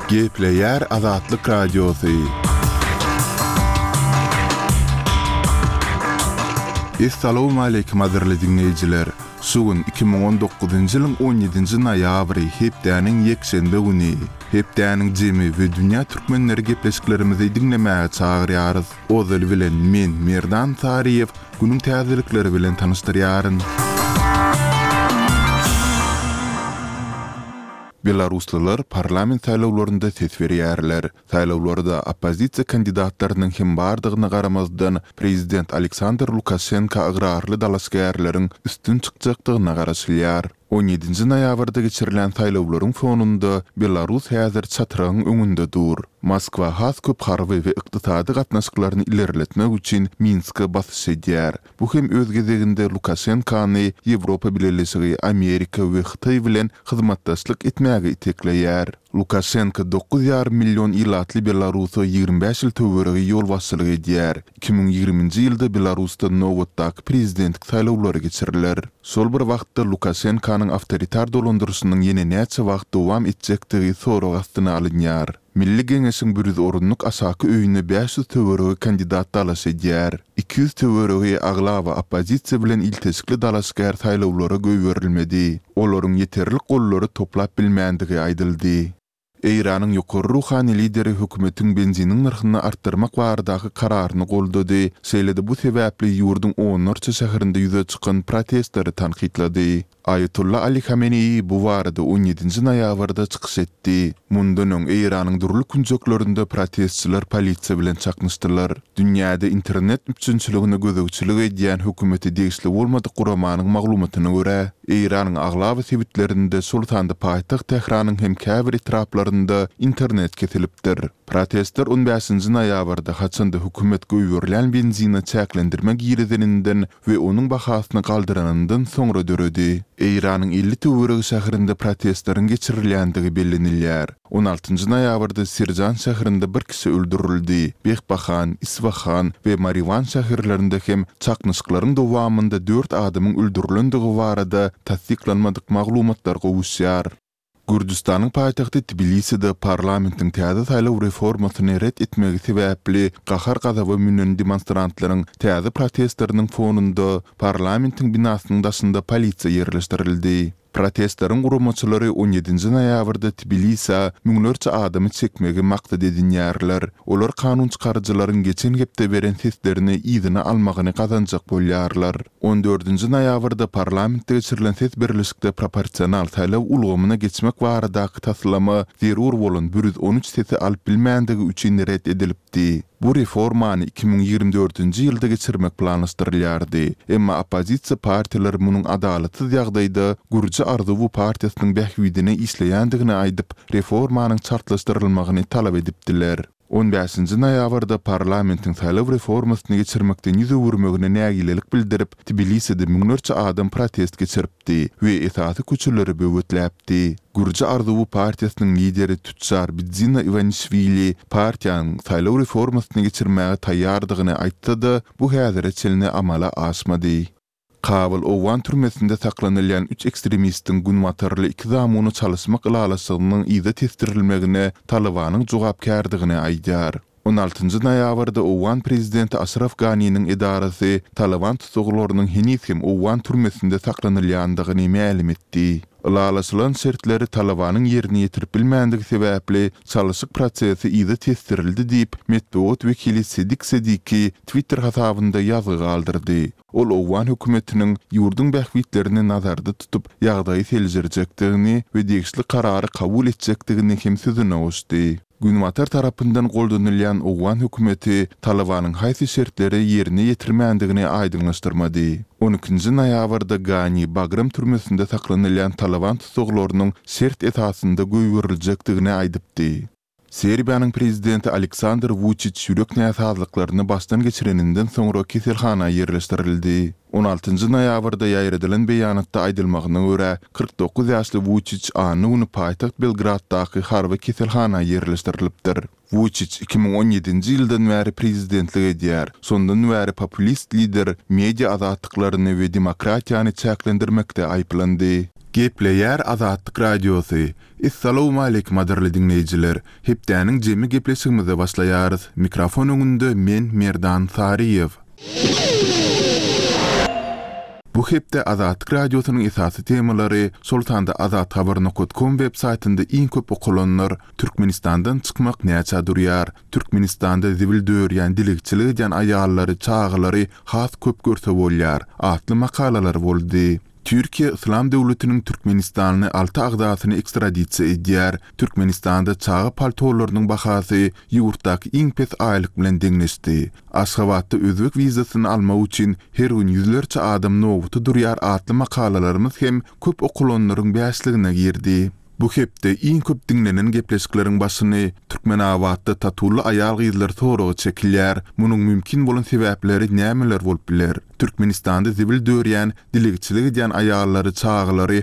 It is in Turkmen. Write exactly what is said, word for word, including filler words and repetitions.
Gepleýär Azatlyk Radiosy. Essalawmaleýkim gadyrly diňleýjiler! Şu gün iki müň on dokuzynjy ýylyň on ýedinji noýabry, hepdäniň ýekşenbe güni. Hepdäniň jemi we dünýä türkmenleri gepleşiklerimizi diňlemäge çagyrýarys. Ozaly bilen men, Merdan Saryýew, günüň täzelikleri bilen tanyşdyrýaryn. Belaruslylar parlament saýlawlarynda ses berýärler. Saýlawlarda oppozisiýa kandidatlarynyň hem bardygyna garamazdan, prezident Aleksandr Lukaşenka ygrarly dalaşgärleriň üstün çykjakdygyna garaşylýar. On ýedinji noýabrda geçirilen saýlawlaryň fonunda Belarus häzir çatrygyň öňünde dur. Moskwa has köp harby we ykdysady gatnaşyklaryny ilerletmek üçin Minske basyş edýär. Bu hem öz gezeginde Lukaşenkany Ýewropa Bileleşigi, Amerika we Hytaý bilen hyzmatdaşlyk etmäge itekleýär. Lukaşenko dokuz ýarym million ilatly Belarusa ýigrimi bäş ýyl töweregi ýolbaşçylyk edýär. Iki müň ýigriminji ýylda Belarusda nobatdaky prezidentlik saýlawlary geçiriler. Şol bir wagtda Lukaşenkanyň awtoritar dolandyryşynyň ýene näçe wagt dowam etjekdigi sorag astyna alynýar. Milli Geňeşiň bir ýüz orunlyk aşaky öýüne bäş ýüz töweregi kandidat dalaş edýär. Iki ýüz töweregi aglaba oppozisiýa bilen ilteşikli dalaşgär saýlawlara goýberilmedi. Olaryň ýeterlik gollary toplap bilmändigi aýdyldy. Eýranyň ýokary ruhany lideri hökümetiň benziniň nyrhyny artdyrmak baradaky kararyny goldady, şeýle-de bu sebäpli ýurduň onlarça şäherinde ýüze çykan protestleri tankytlady. Aýatolla Ali Hameneýi bu barada on ýedinji noýabrda çykyş etdi. Mundan öň Eýranyň dürli künjeklerinde protestçiler polisiýa bilen çaknyşdylar. Dünýäde internet üpjünçiligine gözegçilik edýän hökümete degişli bolmadyk guramanyň maglumatyna görä, Eýranyň aglaba sebitlerinde, şol sanda paýtagt Tähranyň hem käbir etraplarynda internet kesilipdir. Protestler on bäşinji noýabrda, haçan-da hökümet goýberilýän benzine çäklendirme girizeninden we onuň bahasyny galdyranyndan soňra döredi. Eýranyň elli töweregi şäherinde protestleriň geçirilýändigi bellenilýär. On altynjy noýabrda Sirjan şäherinde bir kişi öldürildi. Behbahan, Isfahan we Mariwan şäherlerinde hem çaknyşyklaryň dowamynda dört adamyň öldürilendigi barada tassyklanmadyk maglumatlar gowuşýar. Gürjüstanyň paýtagty Tbiliside parlamentiň täze saýlaw reformasyny ret etmegi sebäpli gahar-gazaba münen demonstrantlaryň täze protestleriniň fonunda parlamentiň binasynyň daşynda polisiýa ýerleşdirildi. Protestleriň guramaçylary on ýedinji noýabrda Tbilisä müňlerçe adamy çekmegi maksat edinýärler. Olar kanunçykaryjylaryň geçen hepde beren seslerini yzyna almagyny gazanjak bolýarlar. On dördünji noýabrda parlamentde geçirilen ses berlişikde proporsional saýlaw ulgamyna geçmek baradaky taslama zerur bolan bir ýüz on üç sesi alyp bilmändigi üçin ret edilipdi. Bu reformany iki müň ýigrimi dördünji ýylda geçirmek planlaşdyrylýardy. Emma oppozisiýa partiýalary munuň adalatsyz ýagdaýda Gürji arzuwy partiýasynyň bähbidine işleýändigini aýdyp, reformanyň çaltlaşdyrylmagyny talap edipdiler. On bäşinji noýabrda parlamentiň saýlaw reformasyny geçirmekden ýüz öwürmegine nägilelik bildirip, Tbiliside müňlerçe adam protest geçiripdi we esasy köçeleri böwetläpdi. Gürji arzuwy partiýasynyň lideri tüçjar Bidzina Iwanişwili partiýanyň saýlaw reformasyny geçirmäge taýýardygyny aýtsa-da, bu häzire çenli amala aşmady. Kabul owgan türmesinde saklanylýan üç ekstremistiň günbatarly iki zamuny çalyşmak ylalaşygynyň yza tesdirilmegine Talybanyň jogapkärdigini aýdýar. On altynjy noýabrda owgan prezidenti Aşraf Ganiniň edarasy Talyban tussaglarynyň heniz hem owgan türmesinde saklanylýandygyny mälim etdi. Ylalaşylan şertleri Talybanyň ýerine ýetirip bilmändigi sebäpli çalyşyk prosesi yza tesdirildi diýip, metbugat wekili Sedik Sediki Twitter hasabynda ýazgy galdyrdy. Ol owgan hökümetiniň ýurduň bähbitlerini nazarda tutup, ýagdaýy seljerjekdigini we degişli karary kabul etjekdigini hem sözüne goşdy. Günbatar tarapyndan goldanylýan owgan hökümeti Talybanyň haýsy şertleri ýerine ýetirmändigini aýdyňlaşdyrmady. On ikinji noýabrda Gani Bagram türmesinde saklanylýan Talyban tussaglarynyň şert esasynda goýberiljekdigini aýdypdy. Serbiýanyň prezidenti Aleksandr Wuçiç ýürek näsazlyklaryny başdan geçireninden soňra keselhana ýerleşdirildi. On altynjy noýabrda ýaýradylan beýanatda aýdylmagyna görä, kyrk dokuz ýaşly Wuçiç anna güni paýtagt Belgraddaky harby keselhana ýerleşdirilipdir. Wuçiç iki müň on ýedinji ýyldan bäri prezidentlik edýär. Şondan bäri populist lider media azatlyklaryny we demokratiýany çäklendirmekde aýyplandy. Gepleýär Azatlyk Radiosy. Essalawmaleýkim gadyrly diňleýjiler. Hepdäniň jemi gepleşigimize başlaýarys. Mikrofon öňünde men Merdan Saryýew. Bu hepde Azatlyk Radiosynyň esasy temalary, şol sanda azathabar nokat kom web saýtynda iň köp okalanlar, Türkmenistandan çykmak näçä durýar, Türkmenistanda zibil dörýän dilegçilik edýän aýallary, çagalary has köp görse bolýar atly makalalar boldy. Türkiýe Yslam döwletiniň türkmenistanly alty agzasyny ekstradisiýa edýär. Türkmenistanda çaga paltolarynyň bahasy ýurtdaky iň pes aýlyk bilen deňleşdi. Aşgabatda özbek wizasyny almak üçin her gün ýüzlerçe adam nobata durýar atly makalalarymyz hem köp okalanlaryň bäşligine girdi. Bu hepde iň köp diňlenen gepleşikleriň başyny Türkmenabatda tatuly aýal-gyzlar soraga çekilýär. Munuň mümkin bolan sebäpleri nämeler bolup biler? Türkmenistanda zibil dörýän, dilegçilik edýän aýallary, çagalary